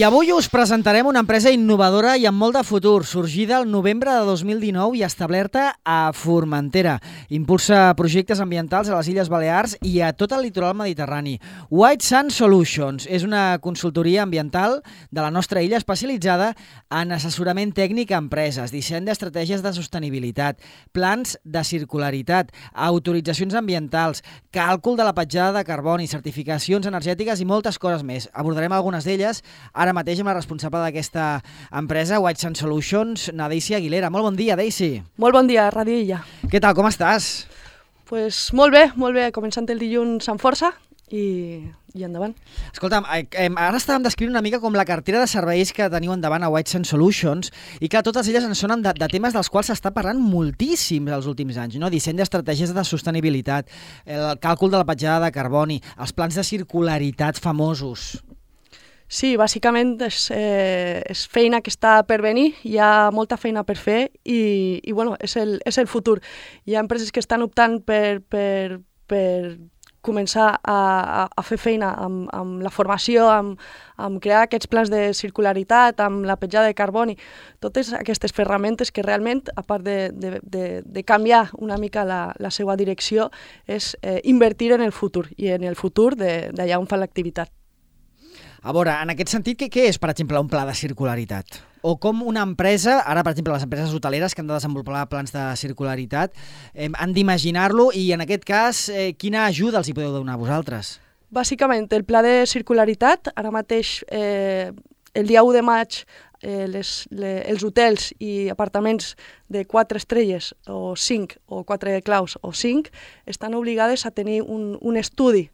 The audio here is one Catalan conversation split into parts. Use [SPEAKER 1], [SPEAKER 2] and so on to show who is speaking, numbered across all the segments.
[SPEAKER 1] I avui us presentarem una empresa innovadora i amb molt de futur, sorgida el novembre de 2019 i establerta a Formentera. Impulsa projectes ambientals a les Illes Balears i a tot el litoral mediterrani. White Sand Solutions és una consultoria ambiental de la nostra illa especialitzada en assessorament tècnic a empreses, disseny d'estratègies de sostenibilitat, plans de circularitat, autoritzacions ambientals, càlcul de la petjada de carboni, certificacions energètiques i moltes coses més. Abordarem algunes d'elles ara mateix amb la responsable d'aquesta empresa, White Sand Solutions, na Daisy Aguilera. Molt bon dia, Daisy.
[SPEAKER 2] Molt bon dia, Ràdio Illa.
[SPEAKER 1] Què tal, com estàs?
[SPEAKER 2] Pues molt bé, començant el dilluns amb força i endavant.
[SPEAKER 1] Escolta'm, ara estàvem descrivint una mica com la cartera de serveis que teniu endavant a White Sand Solutions i clar, totes elles ens sonen de temes dels quals s'està parlant moltíssim els últims anys, no? Disseny d'estratègies de sostenibilitat, el càlcul de la petjada de carboni, els plans de circularitat famosos.
[SPEAKER 2] Sí, bàsicament és feina que està per venir, hi ha molta feina per fer i bueno, és el futur. Hi ha empreses que estan optant per començar a fer feina amb la formació, amb crear aquests plans de circularitat, amb la petjada de carboni, totes aquestes ferramentes que realment, a part de canviar una mica la seva direcció, és invertir en el futur i en el futur d'allà on fan l'activitat.
[SPEAKER 1] A veure, en aquest sentit, què és, per exemple, un pla de circularitat? O com una empresa, ara, per exemple, les empreses hoteleres que han de desenvolupar plans de circularitat, han d'imaginar-lo i, en aquest cas, quina ajuda els hi podeu donar a vosaltres?
[SPEAKER 2] Bàsicament, el pla de circularitat, ara mateix, el dia 1 de maig, els hotels i apartaments de 4 estrelles o 5 o 4 claus o 5 estan obligades a tenir un estudi,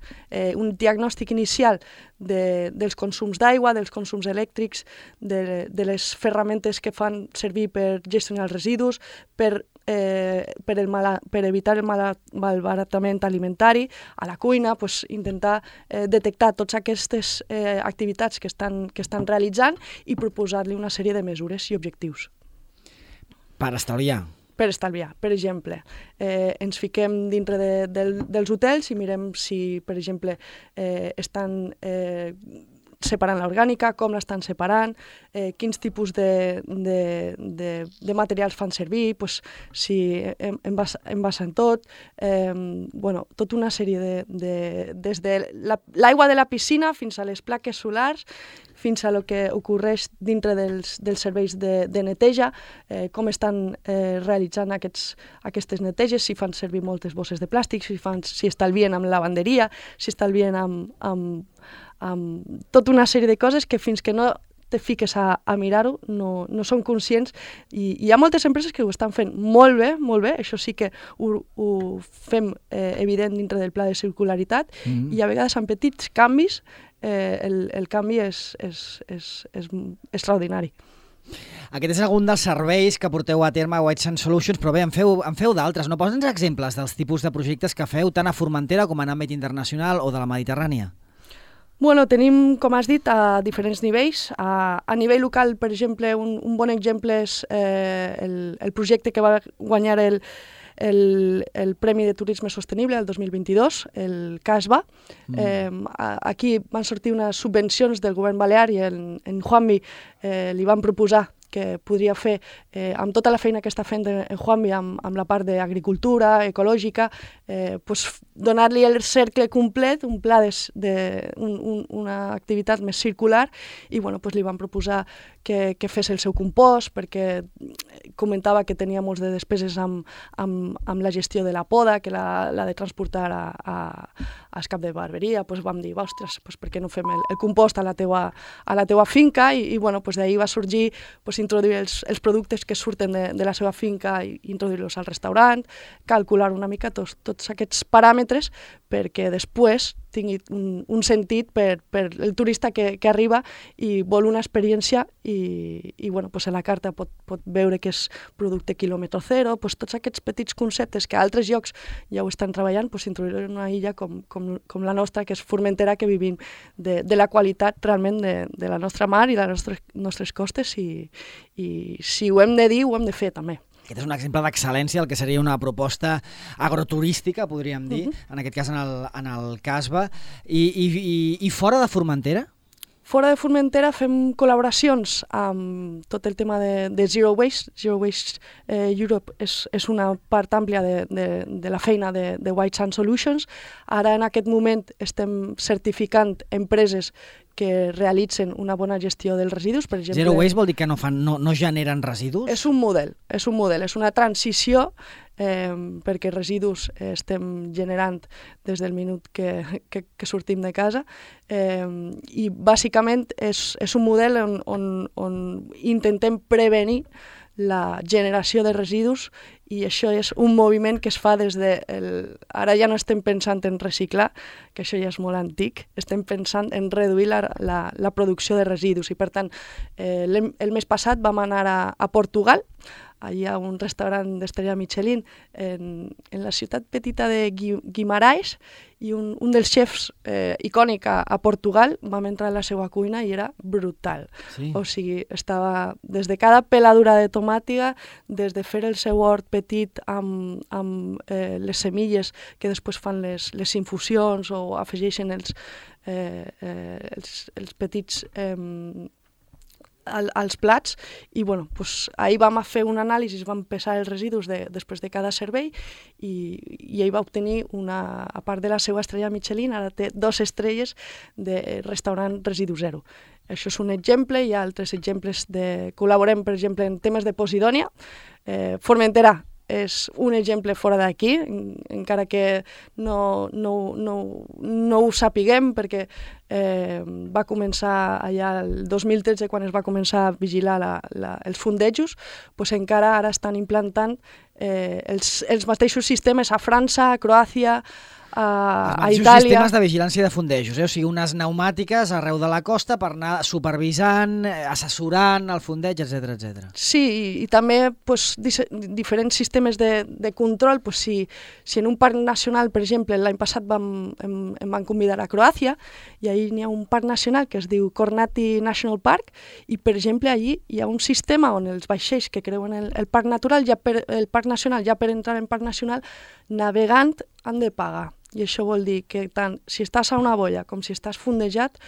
[SPEAKER 2] un diagnòstic inicial dels consums d'aigua, dels consums elèctrics, de les ferramentes que fan servir per gestionar els residus, per evitar el malbaratament alimentari, a la cuina, intentar detectar totes aquestes activitats que estan realitzant i proposar-li una sèrie de mesures i objectius.
[SPEAKER 1] Per estalviar.
[SPEAKER 2] Per estalviar. Per exemple, ens fiquem dintre dels hotels i mirem si, per exemple, estan separant l'orgànica, com l'estan separant, quins tipus de materials fan servir, si envasen tot, tota una sèrie des de l'aigua de la piscina fins a les plaques solars, fins a el que ocorreix dintre dels serveis de neteja, com estan realitzant aquestes neteges, si fan servir moltes bosses de plàstic, si estalvien amb lavanderia, si estalvien amb tota una sèrie de coses que fins que no te fiques a mirar-ho no són conscients i hi ha moltes empreses que ho estan fent molt bé, això sí que ho fem evident dintre del pla de circularitat i a vegades amb petits canvis el canvi és extraordinari.
[SPEAKER 1] Aquest és algun dels serveis que porteu a terme a White Sand Solutions, però bé, en feu d'altres. No posa'ns exemples dels tipus de projectes que feu tant a Formentera com en àmbit internacional o de la Mediterrània.
[SPEAKER 2] Bueno, tenim, com has dit, a diferents nivells. A nivell local, per exemple, un bon exemple és el projecte que va guanyar el Premi de Turisme Sostenible el 2022, el CASBA. Aquí van sortir unes subvencions del govern balear i en Juanmi li van proposar que podria fer, amb tota la feina que està fent en Juanmi, amb la part d'agricultura, ecològica, donar-li el cercle complet, un pla una activitat més circular, i li van proposar que fes el seu compost, perquè comentava que tenia molts de despeses amb la gestió de la poda, que l'ha de transportar al cap de barberia. Vam dir, ostres, per què no fem el compost a la teua finca? I d'ahir va sorgir introduir els productes que surten de la seva finca i introduir-los al restaurant, calcular una mica tots aquests paràmetres perquè després tingui un sentit per el turista que arriba i vol una experiència i a la carta pot veure que és producte quilòmetre zero, tots aquests petits conceptes que a altres llocs ja ho estan treballant, introduir en una illa com la nostra, que és Formentera, que vivim de la qualitat realment de la nostra mar i de les nostres costes i si ho hem de dir, ho hem de fer també.
[SPEAKER 1] Aquest és un exemple d'excel·lència, el que seria una proposta agroturística, podríem dir, en aquest cas en el CASBA. I fora de Formentera?
[SPEAKER 2] Fora de Formentera fem col·laboracions amb tot el tema de Zero Waste. Zero Waste Europe és una part àmplia de la feina de White Sand Solutions. Ara, en aquest moment, estem certificant empreses que realitzen una bona gestió dels residus. Per exemple,
[SPEAKER 1] Zero Waste vol dir que no generen residus?
[SPEAKER 2] És un model, és una transició perquè residus estem generant des del minut que sortim de casa i bàsicament és un model on intentem prevenir la generació de residus i això és un moviment que es fa des de... Ara ja no estem pensant en reciclar, que això ja és molt antic, estem pensant en reduir la producció de residus i per tant el mes passat vam anar a Portugal, allà a un restaurant d'estrella Michelin en la ciutat petita de Guimarães i un dels xefs icònic a Portugal vam entrar a la seva cuina i era brutal.
[SPEAKER 1] Sí.
[SPEAKER 2] O sigui, estava des de cada peladura de tomàtiga, des de fer el seu hort petit amb les semilles que després fan les infusions o afegeixen els petits als plats i ahir vam fer un anàlisi, vam pesar els residus després de cada servei i ell va obtenir a part de la seva estrella Michelin, ara té 2 estrelles de restaurant residu zero. Això és un exemple, hi ha altres exemples col·laborem, per exemple, en temes de Posidònia. Formentera és un exemple fora d'aquí, encara que no ho sapiguem, perquè va començar allà el 2013, quan es va començar a vigilar els fondejos, encara ara estan implantant els mateixos sistemes a França, a Croàcia, a Itàlia.
[SPEAKER 1] Sistemes de vigilància de fondejos, o sigui, unes pneumàtiques arreu de la costa per anar supervisant, assessorant el fondeig, etc.
[SPEAKER 2] Sí, i també diferents sistemes de control. Si en un parc nacional, per exemple, l'any passat em van convidar a Croàcia, i ahir n'hi ha un parc nacional que es diu Kornati National Park, i per exemple allí hi ha un sistema on els vaixells que creuen el parc natural, el parc nacional, ja per entrar en parc nacional, navegant han de pagar. I això vol dir que tant si estàs a una boia com si estàs fondejat,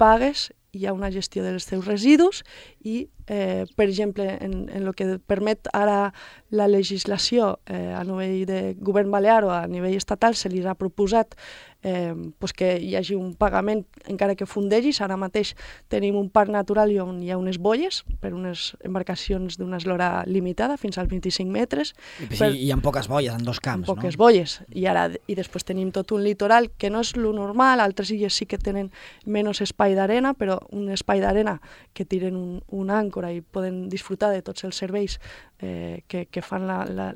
[SPEAKER 2] pagues, hi ha una gestió dels teus residus i, per exemple, en el que permet ara la legislació a nivell de govern balear o a nivell estatal, se li ha proposat que hi hagi un pagament encara que fondegis. Ara mateix tenim un parc natural on hi ha unes boies per unes embarcacions d'una eslora limitada, fins als 25 metres.
[SPEAKER 1] I amb poques boies, en 2 camps,
[SPEAKER 2] no? Poques boies. I després tenim tot un litoral que no és lo normal, altres illes sí que tenen menys espai d'arena, però un espai d'arena que tiren un àncora i poden disfrutar de tots els serveis que fan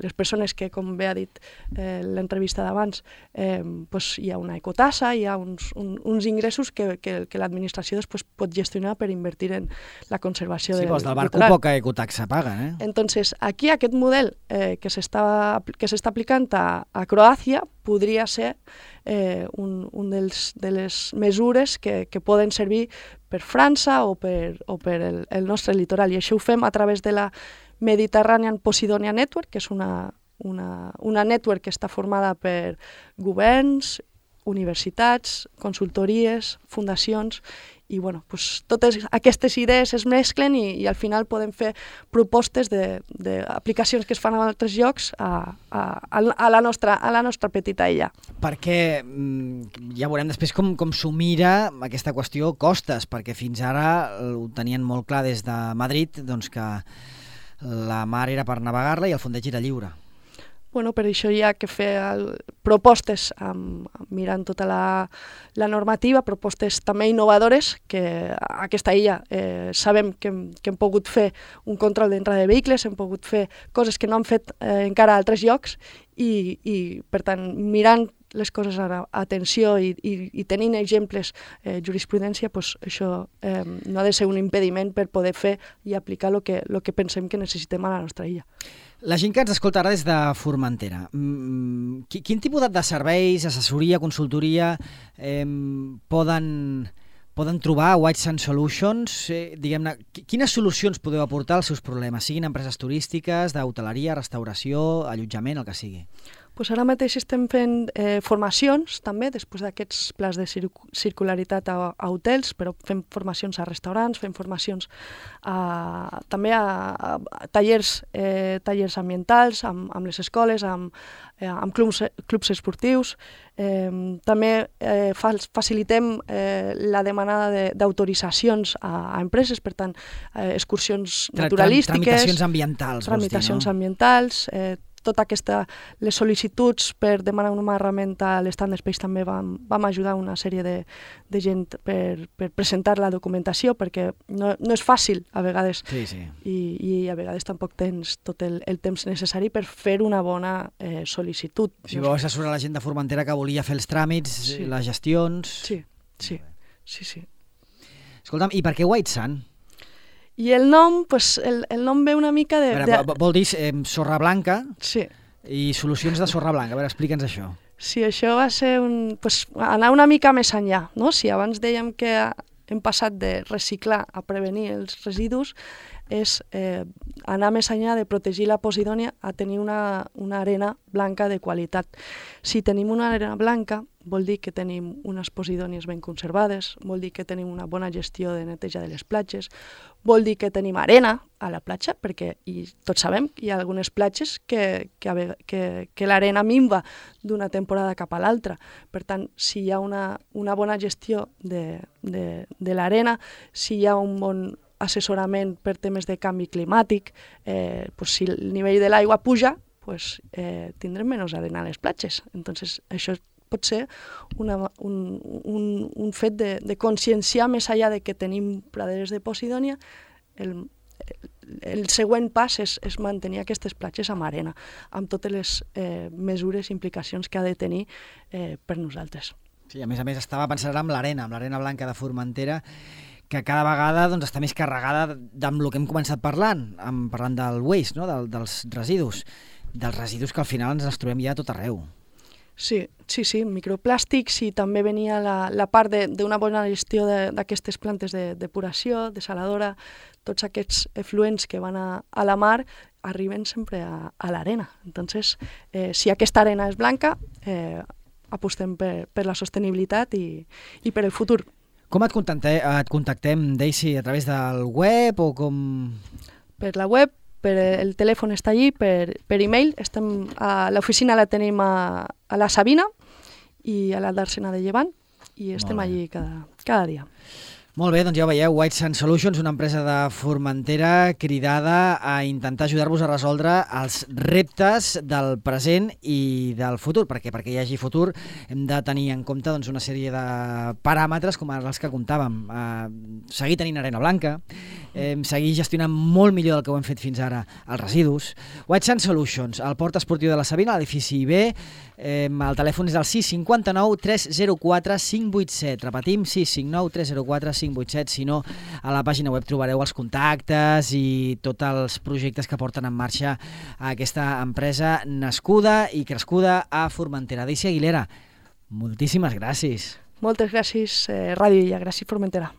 [SPEAKER 2] les persones que, com bé ha dit l'entrevista d'abans, hi ha una ecotassa, hi ha uns ingressos que l'administració després pot gestionar per invertir en la conservació del litoral.
[SPEAKER 1] Sí, del barco poca ecotaxa paguen.
[SPEAKER 2] Entonces, aquí aquest model que s'està aplicant a Croàcia podria ser de les mesures que poden servir per França o per el nostre litoral. I això ho fem a través de la Mediterranean Posidonia Network, que és una network que està formada per governs, universitats, consultories, fundacions, i totes aquestes idees es mesclen i al final podem fer propostes d'aplicacions que es fan a altres llocs a la nostra petita illa.
[SPEAKER 1] Perquè ja veurem després com s'ho mira aquesta qüestió costes, perquè fins ara ho tenien molt clar des de Madrid, doncs que la mar era per navegar-la i el fondeig era lliure.
[SPEAKER 2] Per això hi ha que fer propostes mirant tota la normativa, propostes també innovadores, que a aquesta illa sabem que hem pogut fer un control d'entrada de vehicles, hem pogut fer coses que no han fet encara a altres llocs i per tant, mirant les coses ara, atenció i tenint exemples, jurisprudència, això no ha de ser un impediment per poder fer i aplicar el que pensem que necessitem a la nostra illa.
[SPEAKER 1] La gent que ens escolta ara des de Formentera, quin tipus de serveis, assessoria, consultoria poden trobar a White Sand Solutions? Diguem-ne, quines solucions podeu aportar als seus problemes, siguin empreses turístiques, d'hoteleria, restauració, allotjament, el que sigui?
[SPEAKER 2] Pues ara mateix estem fent formacions també, després d'aquests plans de circularitat a hotels, però fem formacions a restaurants, fem formacions també a tallers ambientals, amb les escoles, amb clubs esportius. També facilitem la demanada d'autoritzacions a empreses, per tant, excursions naturalístiques,
[SPEAKER 1] tramitacions ambientals,
[SPEAKER 2] tramitacions ambientals, les sol·licituds per demanar una herramienta a l'Stand Space també vam ajudar una sèrie de gent per presentar la documentació, perquè no és fàcil a vegades, i a vegades tampoc tens tot el temps necessari per fer una bona sol·licitud.
[SPEAKER 1] Si vau assessorar la gent de Formentera que volia fer els tràmits, les gestions...
[SPEAKER 2] Sí.
[SPEAKER 1] Escolta'm, i per què White Sand?
[SPEAKER 2] I el nom, el nom ve una mica de...
[SPEAKER 1] Vol dir sorra blanca
[SPEAKER 2] i
[SPEAKER 1] solucions de sorra blanca. A veure, explica'ns això.
[SPEAKER 2] Sí, això va ser anar una mica més enllà, no? Si abans dèiem que hem passat de reciclar a prevenir els residus, és anar més enllà de protegir la Posidònia a tenir una arena blanca de qualitat. Si tenim una arena blanca, vol dir que tenim unes Posidònies ben conservades, vol dir que tenim una bona gestió de neteja de les platges, vol dir que tenim arena a la platja, perquè tots sabem que hi ha algunes platges que l'arena minva d'una temporada cap a l'altra. Per tant, si hi ha una bona gestió de l'arena, si hi ha un bon assessorament per temes de canvi climàtic, si el nivell de l'aigua puja, tindrem menys arena a les platges. Entonces, això pot ser un fet de conscienciar més enllà de que tenim praderes de Posidònia. El següent pas és mantenir aquestes platges amb arena, amb totes les mesures i implicacions que ha de tenir per nosaltres.
[SPEAKER 1] Sí, a més estava pensant amb l'arena blanca de Formentera, que cada vegada està més carregada amb el que hem començat parlant del waste, no? dels residus que al final ens trobem ja a tot arreu.
[SPEAKER 2] Sí, microplàstics, i també venia la part d'una bona gestió d'aquestes plantes de depuració, desaladora, tots aquests efluents que van a la mar arriben sempre a l'arena. Entonces, si aquesta arena és blanca, apostem per la sostenibilitat i per el futur.
[SPEAKER 1] Com et contactem, Daisy? A través del web o com...?
[SPEAKER 2] Per la web, el telèfon està allí, per e-mail. L'oficina la tenim a la Sabina i a la Dàrsena de Llevant, i estem allí cada dia.
[SPEAKER 1] Molt bé, doncs ja ho veieu, White Sand Solutions, una empresa de Formentera cridada a intentar ajudar-vos a resoldre els reptes del present i del futur, perquè hi hagi futur hem de tenir en compte una sèrie de paràmetres com els que comptàvem. Seguir tenint arena blanca, seguir gestionant molt millor del que ho hem fet fins ara els residus. White Sand Solutions, al Port Esportiu de la Sabina, a l'edifici B, el telèfon és el 659 304 587. Repetim, 659 304 587. Si no, a la pàgina web trobareu els contactes i tots els projectes que porten en marxa a aquesta empresa nascuda i crescuda a Formentera. Daisy Aguilera, moltíssimes gràcies.
[SPEAKER 2] Moltes gràcies, Ràdio Illa. Gràcies, Formentera.